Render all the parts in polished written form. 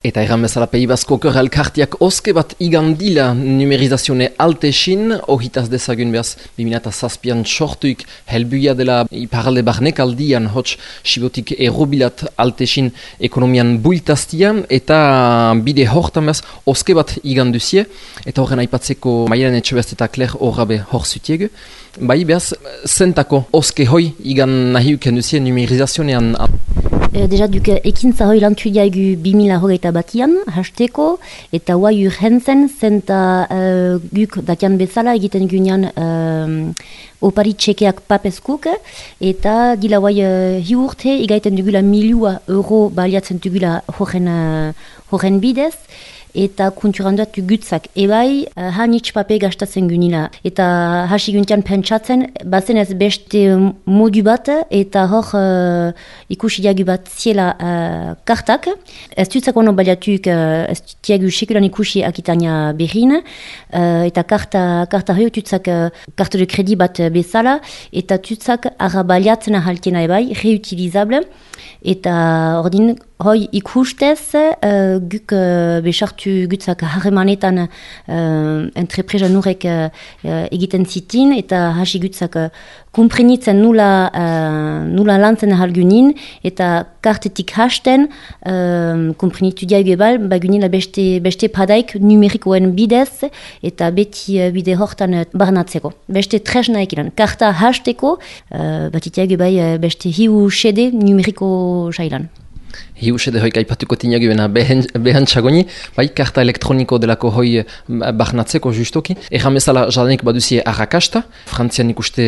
Eta erran bezala Pei Basko elkartiak oske bat igandila numerizazione altesin, ohitaz dezagun behaz 2007an sortuik helbuia dela iparalde barnek aldian hots sibotik errobilat altesin ekonomian builtaztia, eta bide hortan behaz oske bat iganduzie, eta horren aipatzeko Maialen Etxebest eta Kler horrabe hor zutiegu. Bai behaz, zentako oske hoi igan nahiuken duzie numerizazionean. Deja duk ekintza hoi lantu diagu 2021an, hasteko, eta huai urhentzen zenta guk dakian bezala egiten gunean opari txekeak papeskuk, eta dila huai hi urte igaiten dugula €1.000 baliatzen dugula horren bidez, eta konturanduat gutzak. Ebai, hanitz pape gastatzen gunila. Eta hasi guntian pentsatzen, bazen ez beste modu bat, eta hor ikusi diagu bat ziela kartak. Ez dutzak ono baliatuk, ez diagu sekulan ikusi akitania berrin, eta karta hori dutzak karta de kredi bat bezala, eta dutzak arra baliatzen ahaltena ebai, reutilizable, eta ordin hoi ikustez, guk besartu gutzak harremanetan entrepresa nurek egiten zitin, eta hasi gutzak komprenitzen nula lantzen ahalgunin, eta kartetik hasten komprenitu diago ebal, bagunila beste padaik numerikoen bidez, eta beti bide hortan barnatzeko. Beste tresna ekilan. Karta hasteko, batitiago bai beste hiu sede numeriko sailan. Hiusede hoik aipatuko tinagu bena behantxagoni, bai karta elektroniko delako hoi barnatzeko justoki. Erran bezala jadanik baduzie arrakasta, Frantzian ikuste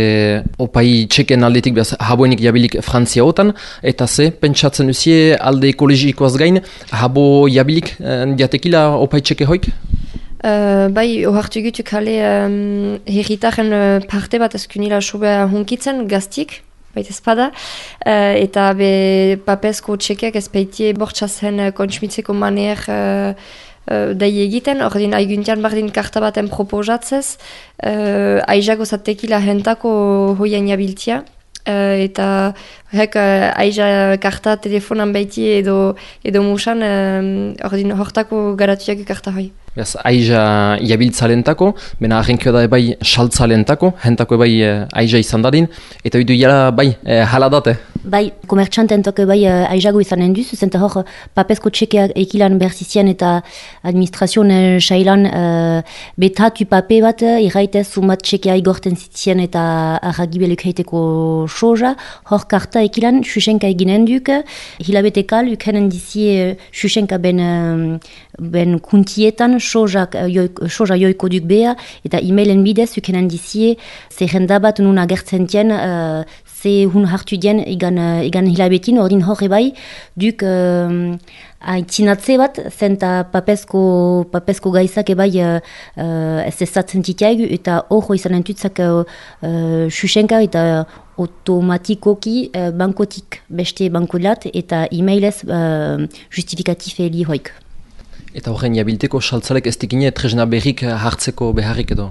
opai txeken aldetik behaz haboenik jabilik Frantzia otan, eta ze pentsatzen duzie alde ekologikoaz gain, habo jabilik diatekila opai txeke hoik? Bai, ohartu gutuk hale herritaren parte bat ezkunila sobea hunkitzen gaztik, baita espada, eta be papesko txekeak ezpeitie bortxazen kontsmitzeko maner dai egiten, ordin aiguntian bardin karta baten proposatzez, aizago zatekila hentako hoien jabiltia, eta aiza karta telefonan baiti edo musan, ordin hortako garatuak karta hoi. Beaz, aiza jabiltzalentako, bena arrenkio da bai saltzalentako, hentako bai aiza izan dadin, eta bidu jala bai haladate. Bai, komertxantentok bai aizago izanen duz, zenta hor papesko txekeak ekilan berzizien eta administrazioan sailan betatu pape bat, irraitez sumat txekea igorten zitzien eta arragibeluk heiteko soja, hor karta ekilan xuxenka eginen duk, hilabetekal ukenen dizie xuxenka ben kuntietan, soja joiko duk beha, eta e-mailen bidez ukenen dizie zerrenda bat nun agertzen dien, ze hun hartu dien igan hilabetin, ordin horre bai, duk aitzinatze bat, zenta papesko gaizak ebai ez ezatzen titiaigu, eta horro izanen tutzak xuxenka eta automatikoki bankotik beste bankolat, eta e-mailez justifikatif heli hoik. Eta horren jabilteko saltzalek ez dikine tresna berrik hartzeko beharrik edo?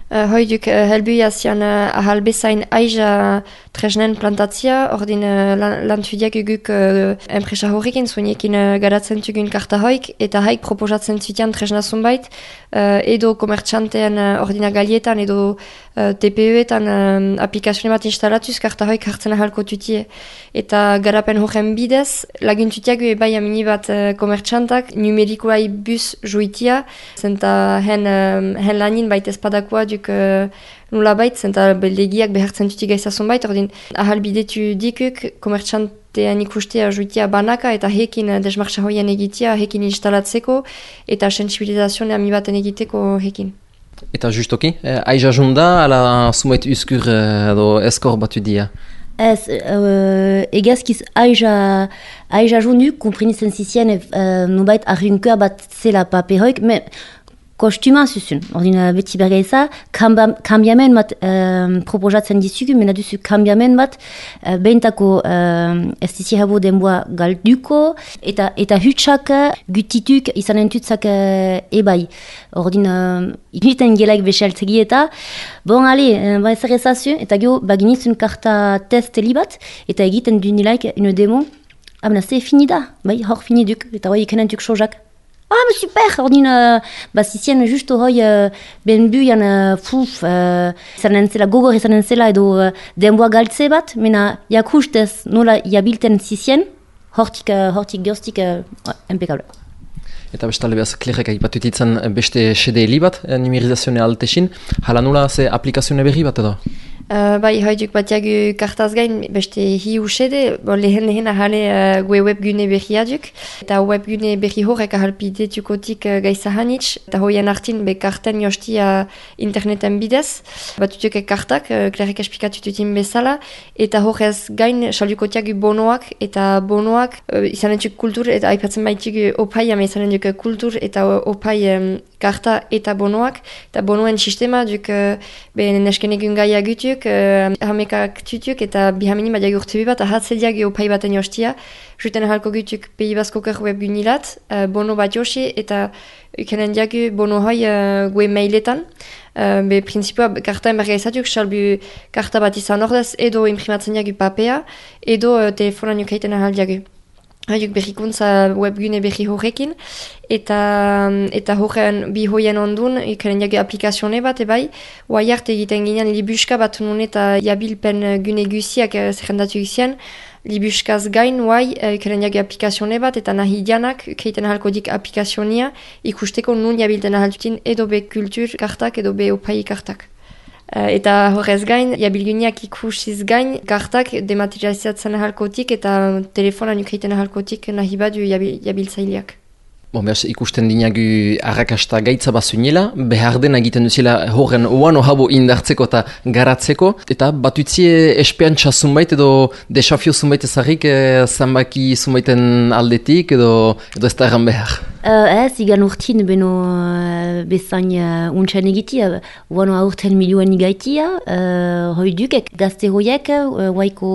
Hoiduk helbuia zian ahalbezain aiza tresnen plantatzia, ordin lantudiak guk enpresa horrekin zuenekin garatzen tugun karta hoik, eta haik proposatzen zutian tresna zunbait, edo komertxantean ordina galietan, edo TPE-etan aplikazioen bat instalatuz karta hoik hartzen ahalko tutie. Eta garapen horren bidez, laguntutiak bai amini bat komertxantak numerikoai bus juitia, zenta hen lanin baita espadakoa duk nula bait, zenta legiak behartzen tuti gaizazun bait, ordin ahalbidetu dikuk komertxantean ikustea juitia banaka eta hekin desmartxa hoien egitea, hekin instalatzeko eta sensibilizazioan ami baten egiteko hekin. Eta justoki, aiza junda, ala sumait uskur edo eskor batu dia? Ez, egazkiz aiza junduk, komprenitzen zizien nubait arrunkeur bat zela pape hoik, me kostuma zuzun. Ordina beti bergaiza, kambiamen bat proposatzen dizugu, mena duzu kambiamen bat behintako ez dizi habo denboa galduko, eta hutsak gutituk izanen tutzak ebai. Ordina initen gelaik besaltzegi eta bon, ale, zer ezazu, eta geho baginizun karta test bat, eta egiten dunilaik une demo Abena, ze fini da, bai, hor fini duk, eta hoi ikenentuk sojak. Super, ordin, zizien justo hoi ben buian izanen zela, gogor izanen zela edo denboa galtze bat, mena jakustez nola jabilten zizien, hortik geostik impecable. Eta bestalde behaz, klerrek aipatutitzen beste SDL bat, numerizazioa altesin, hala nola ze aplikazioa berri bat edo? Bai, haiduk batiagu kartaz gain beste hi usede, lehen ahale gue webgune berri aduk, eta webgune berri horrek ahalpidetukotik gaizahanitz, eta hoien artin be karten jostia interneten bidez, batutuk kartak, klerrek esplikatututin bezala, eta horrez gain saldukotiagu bonoak, eta bonoak izanetuk kultur, eta aipatzen baitugu opai, ama izanetuk kultur, eta opai karta eta bonoak, eta bonoen sistema duk neskenegun gaia gutuk, hamekak tutuk eta bihamini bat jagurtzebi bat ahatzediak opai baten jostia. Juten ahalko gutuk pehi bazkokar webgunilat, bono bat josi eta ukenen diagu bono hoi gue mailetan. Be prinsipua karta enberga izatuk, salbu karta bat izan ordez edo imprimatzen diagu papea, edo telefonan ukaiten ahal diagu. Haiuk berrikuntza webgune berri horrekin, eta horren bi hoien ondun, ikaren jage aplikazione bat, ebai, oaiart egiten ginean libuska bat nun eta jabilpen gune guziak zerrendatu gizien, libuskaz gain, ikaren jage aplikazione bat, eta nahi dianak, keiten ahalko dik aplikazionia, ikusteko nun jabilten ahaltutin edo be kultur kartak, edo be opai kartak. Eta horrez gain, jabilguneak ikusiz gain, kartak dematerializatzen ahalkotik eta telefonan ukaiten ahalkotik nahi badu jabiltzaileak. Behaz, ikusten dinagu arrakasta gaitza bazuinela, behar dena egiten duzela horren oano habo indartzeko eta garatzeko, eta batutzie espeantza zunbait edo desafio zunbait ezarrik zanbaki zunbaiten aldetik edo ez da erran behar. Igan urtin beno bezain untxan egitia, oano aurten milioen igaitia, hoi dukek gazte hoiek, waiko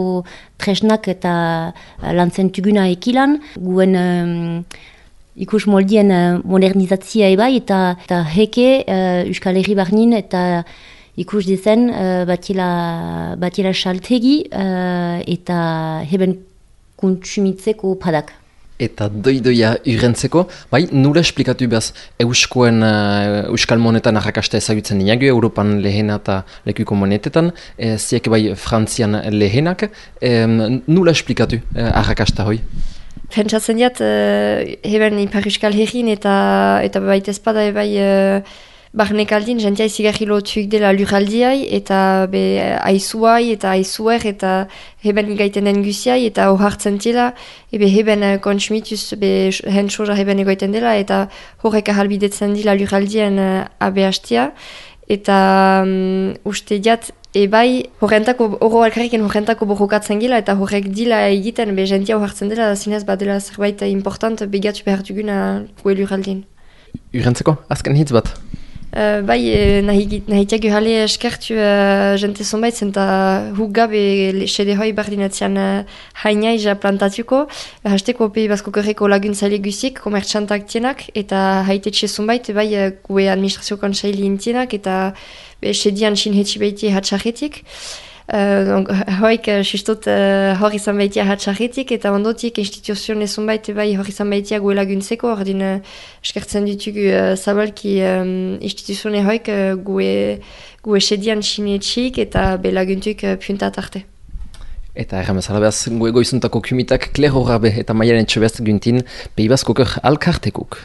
tresnak eta lantzentuguna ekilan, guen ikus moldien modernizatzia ebai eta heke Euskal Herri barnin eta ikus dezen batila saltegi eta heben kontsumitzeko padak. Eta doidoia urrentzeko, bai, nula esplikatu behaz Euskal monetan arrakasta ezagutzen dinagu, Europan lehena eta lekuko monetetan, ziek bai Frantzian lehenak, nula esplikatu arrakasta hoi? Pentsatzen diat, heben Ipar Euskal Herrin eta baita espada ebai barnekaldin, jentia izigarri lotuik dela lurraldiai, eta aizuai eta aizuer, eta heben gaiten den guziai, eta hohartzen dela, heben konsumituz, hen soja heben egoiten dela, eta horrek ahalbidetzen dela lurraldien abehastia, eta uste diat, ebai, horrentako, oro alkarriken horrentako borrokatzen gila, eta horrek dila egiten, jentia hohartzen dela, zinez badela zerbait important begatu behar duguna gue lurraldien. Urrentzeko, azken hitz bat? Nahitiak uhale eskertu jente zonbait zenta huk gabe sede hoi bardinatzean hainaiza plantatuko, hasteko pehi bazko kerreko laguntzaile guzik, komertxantak tienak, eta haitetxe zonbait, gue administrazio konsaili intienak, eta sedian sinhetsi behiti hatxarretik. Hoik sistot hor izan behitia hatxarretik, eta ondotik instituzioen ezonbait hor izan behitia gue laguntzeko, ordin eskertzen ditugu zabalki instituzioen hoik gue sedian sinetxik eta laguntuk puntat arte. Eta erramezala behaz, gue goizuntako kumitak Kler Horrabe eta Maialen Txebest guntin Peibazko Kör alkartekuk.